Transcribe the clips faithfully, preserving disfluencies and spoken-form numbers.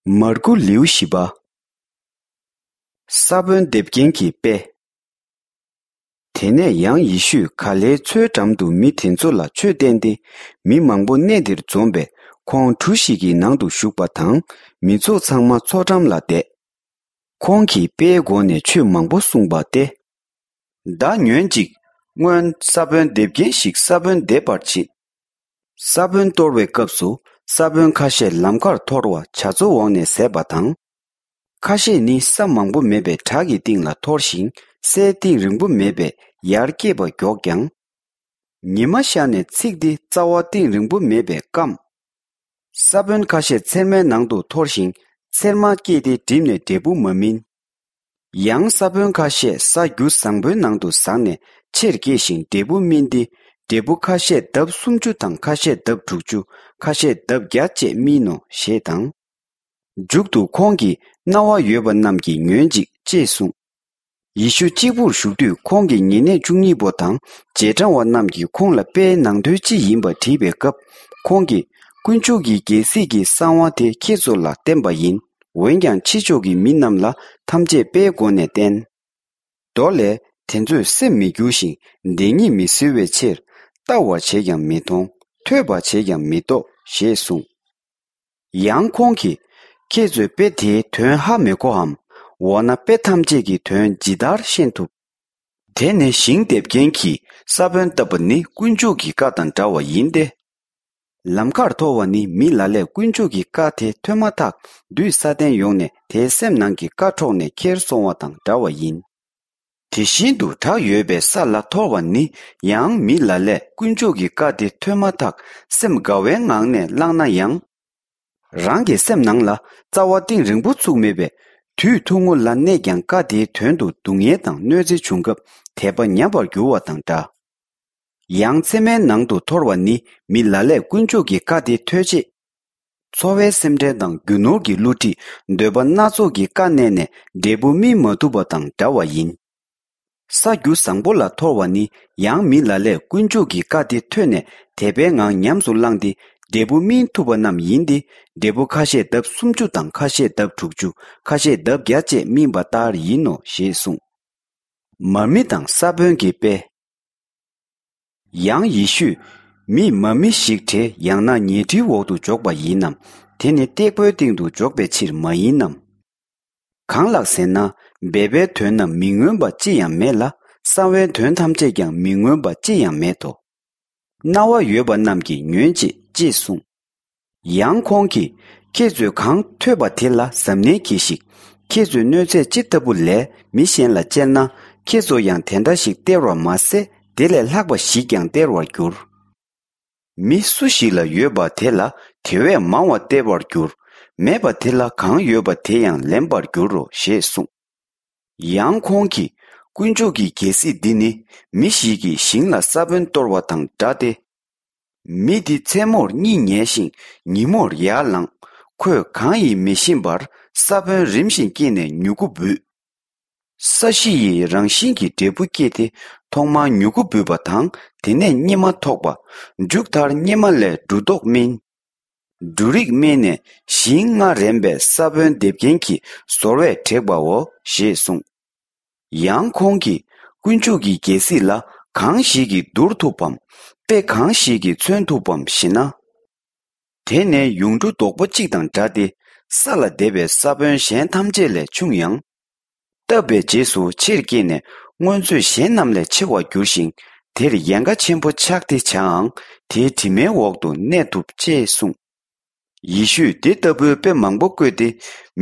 མར་ཁུ་ལེའུ་བཞི་པ། ས་བོན་འདེབས་མཁན་གྱི་དཔེ། དེ་ནས་ཡང་ཡེ་ཤུས་ག་ལེའི་མཚོའི་འགྲམ་དུ་མི་དེ་ཚོ་ལ་ཆོས་བསྟན་ཏེ། མི་མང་པོ་གནས་དེར་འཛོམས་པས། ཁོང་གྲུ་ཞིག་གི་ནང་དུ་ཞུགས་པ་དང་། མི་ཚོགས་ཚང་མ་མཚོ་འགྲམ་ལ་བསྡད། ཁོང་གིས་དཔེའི་སྒོ་ནས་ཆོས་མང་པོ་གསུངས་པ་སྟེ། ད་ཉོན་ཅིག། སྔོན་ས་བོན་འདེབས་མཁན་ཞིག་ས་བོན་འདེབས་པར་ཕྱིན། ས་བོན་གཏོར་བའི་སྐབས་སུ། ས་བོན་ཁ་ཤས་ལམ་ཁར་འཐོར་བ་བྱ་ཚོ་འོང་ནས་ཟད་པ་དང་། ཁ་ཤས་ནི་ས་མང་པོ་མེད་པའི་བྲག་གི་སྟེང་ལ་འཐོར་ཞིང་། སའི་གཏིང་རིང་པོ་མེད་པས་ཡར་སྐྱེས་པ་མགྱོགས་ཀྱང་། ཉི་མ་ཤར་ནས་ཚིག་སྟེ། རྩ་བ་གཏིང་རིང་པོ་མེད་པས་སྐམ། ས་བོན་ཁ་ཤས་ཚེར་མའི་ནང་དུ་འཐོར་ཞིང་། ཚེར་མ་སྐྱེས་ཏེ་འགྲིབ་ནས་འབྲས་བུ་མ་སྨིན། ཡང་ས་བོན་ཁ་ཤས་ས་རྒྱུ་བཟང་པོའི་ནང་དུ་ཟགས་ནས་ཆེར་སྐྱེས་ཤིང་འབྲས་བུ་སྨིན་ཏེ། འབྲས་བུ་ཁ་ཤས་ལྡབ་སུམ་ཅུ་དང་། ཁ་ཤས་ལྡབ་དྲུག་ཅུ། ཁ་ཤས་ལྡབ་བརྒྱ་བཅས་སྨིན་ནོ། ཞེས་དང་། མཇུག་ཏུ་ཁོང་གིས། རྣ་བ་ཡོད་པ་རྣམས་ཀྱིས་ཉོན་ཅིག། ཅེས་གསུངས། ཡེ་ཤུ་གཅིག་པུར་བཞུགས་དུས། ཁོང་གི་ཉེ་གནས་བཅུ་གཉིས་པོ་དང་རྗེས་འབྲང་བ་རྣམས་ཀྱིས་ཁོང་ལ། དཔེའི་ནང་དོན་ཅི་ཡིན་པ་དྲིས་པའི་སྐབས། ཁོང་གིས། དཀོན་མཆོག་གི་རྒྱལ་སྲིད་ཀྱི་གསང་བ་དེ་ཁྱེད་ཚོ་ལ་བསྟན་པ་ཡིན། འོན་ཀྱང་ཕྱི་ཕྱོགས་ཀྱི་མི་རྣམས་ལ་ཐམས་ཅད་དཔེའི་སྒོ་ནས་བསྟན། མདོ་ལས། དེ་ཚོས་སེམས་མི་འགྱུར་ཞིང་། བདེན་ཉིད་མི་གཟིར་བའི་ཕྱིར། ལྟ་བར་བྱས་ཀྱང་མི་མཐོང་། ཐོས་པར་བྱས་ཀྱང་མི་རྟོགས། ཞེས་གསུངས། ཡང་ཁོང་གིས། ཁྱེད་ཚོས་དཔེ་དེའི་དོན་ཧ་མི་གོའམ། འོ་ན་དཔེ་ཐམས་ཅད་ཀྱི་དོན་ཇི་ལྟར་ཤེས་ཐུབ། དེ་ནི་ཞིང་འདེབས་མཁན་གྱིས་ས་བོན་བཏབ་པ་ནི་དཀོན་མཆོག་གི་བཀའ་དང་འདྲ་བ་ཡིན་ཏེ། ལམ་ཁར་འཐོར་བ་ནི་མི་ལ་ལས་དཀོན་མཆོག་གི་བཀའ་དེ་ཐོས་མ་ཐག་བདུད་སཱ་ཏན་ཡོང་ནས་དེའི་སེམས་ནང་གི་བཀའ་འཕྲོག་ནས་ཁྱེར་སོང་བ་དང་འདྲ་བ་ཡིན། དེ་བཞིན་དུ་བྲག་ཡོད་པའི་ས་ལ་འཐོར་བ་ནི་ཡང་མི་ལ་ལས་དཀོན་མཆོག་གི་བཀའ་དེ་ཐོས་མ་ཐག་སེམས་དགའ་བའི་ངང་ནས་བླངས་ན་ཡང་། རང་གི་སེམས་ནང་ལ། རྩ་བ་གཏིང་རིང་པོ་ཚུགས་མེད་པས། དུས་ཐུང་ངུ་ལ་གནས་ཀྱང་། བཀའ་དེའི་དོན་དུ་སྡུག་བསྔལ་དང་གནོད་འཚེ་བྱུང་སྐབས་དད་པ་ཉམས་པར་འགྱུར་བ་དང་འདྲ། ཡང་ཚེར་མའི་ནང་དུ་འཐོར་བ་ནི་མི་ལ་ལས་དཀོན་མཆོག་གི་བཀའ་དེ་ཐོས་རྗེས། འཚོ་བའི་སེམས་ཁྲལ་དང་རྒྱུ་ནོར་གྱི་བསླུ་བྲིད། འདོད་པ་སྣ་ཚོགས་ཀྱིས་བཀའ་མནན་ནས་འབྲས་བུ་སྨིན་མ་ཐུབ་པ་དང་འདྲ་བ་ཡིན། ས་རྒྱུ་བཟང་པོ་ལ་འཐོར་བ་ནི་ཡང་མི་ལ་ལས་དཀོན་མཆོག་གི་བཀའ་དེ་ཐོས་ནས་དད་པའི་ངང་ཉམས་སུ་བླངས་ཏེ་འབྲས་བུ་སྨིན་ཐུབ་པ་རྣམས་ཡིན་ཏེ། འབྲས་བུ་ཁ་ཤས་ལྡབ་སུམ་ཅུ་དང་། ཁ་ཤས་ལྡབ་དྲུག་ཅུ། ཁ་ཤས་ལྡབ་བརྒྱ་བཅས་སྨིན་པ་ལྟར་ཡིན་ནོ། ཞེས་གསུངས། མར་མེ་དང་ས་བོན་གྱི་དཔེ། ཡང་ཡེ་ཤུས། མིས་མར་མེ་ཞིག་བྲེ་ཡང་ན་ཉལ་ཁྲིའི་འོག་ཏུ་འཇོག་པ་ཡིན་ནམ། དེ་ནི་སྟེགས་བུའི་སྟེང་དུ་འཇོག་པའི་ཕྱིར་མ་ཡིན་ནམ། གང་ལགས་ཟེར་ན། སྦས་པའི་དོན་རྣམས་མི་མངོན་པ་ཅི་ཡང་མེད་ལ། གསང་བའི་དོན་ཐམས་ཅད་ཀྱང་མི་མངོན་པ་ཅི་ཡང་མེད་དོ། རྣ་བ་ཡོད་པ་རྣམས་ཀྱིས་ཉོན་ཅིག། ཅེས་གསུངས། ཡང་ཁོང་གིས། ཁྱེད་ཚོས་གང་ཐོས་པ་དེ་ལ་གཟབ་ནན་གྱིས་ཤིག། ཁྱེད་ཚོས་གནོད་འཚེ་ཅི་ལྟ་བུ་ལས་མི་གཞན་ལ་སྟེར་ན། ཁྱེད་ཚོ་ཡང་དེ་འདྲ་ཞིག་སྟེར་བར་མ་ཟད། དེ་ལས་ལྷག་པ་ཞིག་ཀྱང་སྟེར་བར་འགྱུར། མི་སུ་ཞིག་ལ་ཡོད་པ་དེ་ལ་དེ་བས་མང་བ་སྟེར་བར་འགྱུར། མེད་པ་དེ་ལ་གང་ཡོད་པ་དེ་ཡང་ལེན་པར་འགྱུར་རོ། ཞེས་གསུངས། ཡང་ཁོང་གིས། དཀོན་མཆོག་གི་རྒྱལ་སྲིད་འདི་ནི་མི་ཞིག་གིས་ཞིང་ལ་ས་བོན་གཏོར་བ་དང་འདྲ་སྟེ། མི་འདི་མཚན་མོར་གཉིད་ཉལ་ཞིང་ཉིན་མོར་ཡར་ལངས། ཁོས་གང་ཡིན་མི་ཤེས་པར་ས་བོན་རིམ་བཞིན་སྐྱེས་ནས་མྱུ་གུ་འབུས། ས་གཞི་ཡིས་རང་བཞིན་གྱིས་འབྲས་བུ་སྐྱེས་ཏེ། ཐོག་མར་མྱུ་གུ་འབུས་པ་དང་། དེ་ནས་སྙེ་མ་ཐོགས་པ། མཇུག་མཐར་སྙེ་མ་ལས་འབྲུ་རྡོག་སྨིན། འབྲུ་རིགས་སྨིན་ནས་ཞིང་རྔ་རན་པས་ས་བོན་འདེབས་མཁན་གྱིས་ཟོར་བས་བྲེགས་པའོ། ཞེས་གསུངས། ཡང་ཁོང་གིས། དཀོན་མཆོག་གི་རྒྱལ་སྲིད་ལ་གང་ཞིག་གིས་བསྡུར་ཐུབ་བམ། དཔེ་གང་ཞིག་གིས་མཚོན་ཐུབ་བམ་ཞེ་ན། དེ་ནི་ཡུངས་འབྲུ་རྡོག་པོ་གཅིག་དང་འདྲ་སྟེ། ས་ལ་འདེབས་པའི་ས་བོན་གཞན་ཐམས་ཅད་ལས་ཆུང་ཡང་། བཏབ་པའི་རྗེས་སུ་ཆེར་སྐྱེས་ནས་སྔོན་ཚོད་གཞན་རྣམས་ལས་ཆེ་བར་འགྱུར་ཞིང་། དེར་ཡལ་ག་ཆེན་པོ་ཆགས་ཏེ་བྱའང་། དེའི་གྲིབ་མའི་འོག་ཏུ་གནས་ཐུབ། ཅེས་གསུངས། ཡེ་ཤུས་དེ་ལྟ་བུའི་དཔེ་མང་པོ་བཀོད་དེ།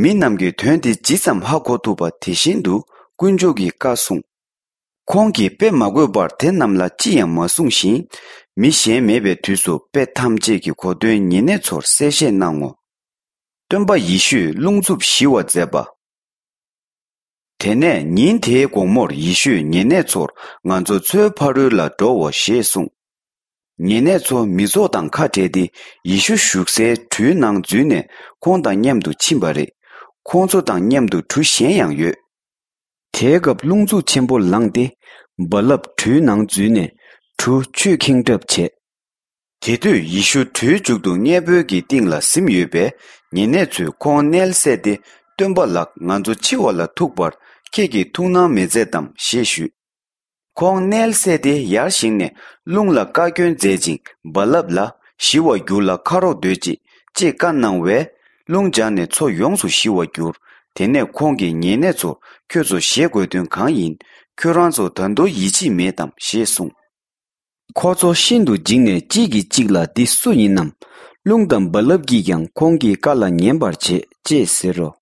མི་རྣམས་ཀྱིས་དོན་དེ་ཇི་ཙམ་ཧ་གོ་ཐུབ་པ་དེ་བཞིན་དུ་དཀོན་མཆོག་གི་བཀའ་གསུངས། ཁོང་གིས་དཔེ་མ་བཀོད་པར་དེ་རྣམས་ལ་ཅི་ཡང་མ་གསུངས་ཤིང་། མི་གཞན་མེད་པའི་དུས་སུ་དཔེ་ཐམས་ཅད་ཀྱི་གོ་དོན་ཉེ་གནས་ཚོར་གསལ་བཤད་གནང་ངོ་། སྟོན་པ་ཡེ་ཤུས་རླུང་འཚུབ་ཞི་བར་མཛད་པ། དེ་ནས་ཉིན་དེའི་དགོང་མོར་ཡེ་ཤུས་ཉེ་གནས་ཚོར། ང་ཚོ་མཚོའི་ཕ་རོལ་ལ་འགྲོའོ། ཞེས་གསུངས། ཉེ་གནས་ཚོ་མི་ཚོགས་དང་ཁ་བྲལ་ཏེ། ཡེ་ཤུ་བཞུགས་སའི་གྲུའི་ནང་འཛུལ་ནས་ཁོང་དང་མཉམ་དུ་ཕྱིན་པ་རེད། ཁོང་ཚོ་དང་མཉམ་དུ་གྲུ་གཞན་ཡང་ཡོད། དེའི་སྐབས་རླུང་འཚུབ་ཆེན་པོ་ལངས་ཏེ། རྦ་རླབས་གྲུའི་ནང་འཛུལ་ནས་གྲུ་ཆུས་ཁེངས་གྲབས་བྱས། དེ་དུས་ཡེ་ཤུ་གྲུའི་མཇུག་ཏུ་སྔས་བོད་ཀྱི་སྟེང་ལ་གཟིམ་ཡོད་པས། ཉེ་གནས་ཚོས་ཁོང་མནལ་སད་དེ། སྟོན་པ་ལགས། ང་ཚོ་འཆི་བ་ལ་ཐུག་པར་ཁྱེད་ཀྱིས་ཐུགས་སྣང་མི་མཛད་དམ་ཞེས་ཞུས། ཁོང་མནལ་སད་དེ་ཡར་བཞེངས་ནས། རླུང་ལ་བཀའ་བཀྱོན་མཛད་ཅིང་རྦ་རླབས་ལ། ཞི་བར་གྱུར་ལ་ཁ་རོག་སྡོད་ཅིག་ཅེས་བཀའ་གནང་བས། རླུང་འཇགས་ནས་མཚོ་ཡོངས་སུ་ཞི་བར་གྱུར། དེ་ནས་ཁོང་གིས་ཉེ་གནས་ཚོར། ཁྱོད་ཚོ་ཞེད་དགོས་དོན་གང་ཡིན། ཁྱོད་རང་ཚོ་ད་དུང་ཡིད་ཆེས་མེད་དམ་ཞེས་གསུངས། ཁོ་ཚོ་ཤིན་ཏུ་འཇིགས་ནས་གཅིག་གིས་གཅིག་ལ། འདི་སུ་ཡིན་ནམ། རླུང་དང་རྦ་རླབས་ཀྱིས་ཀྱང་ཁོང་གི་བཀའ་ལ་ཉན་པར་བྱེད་ཅེས་ཟེར་རོ།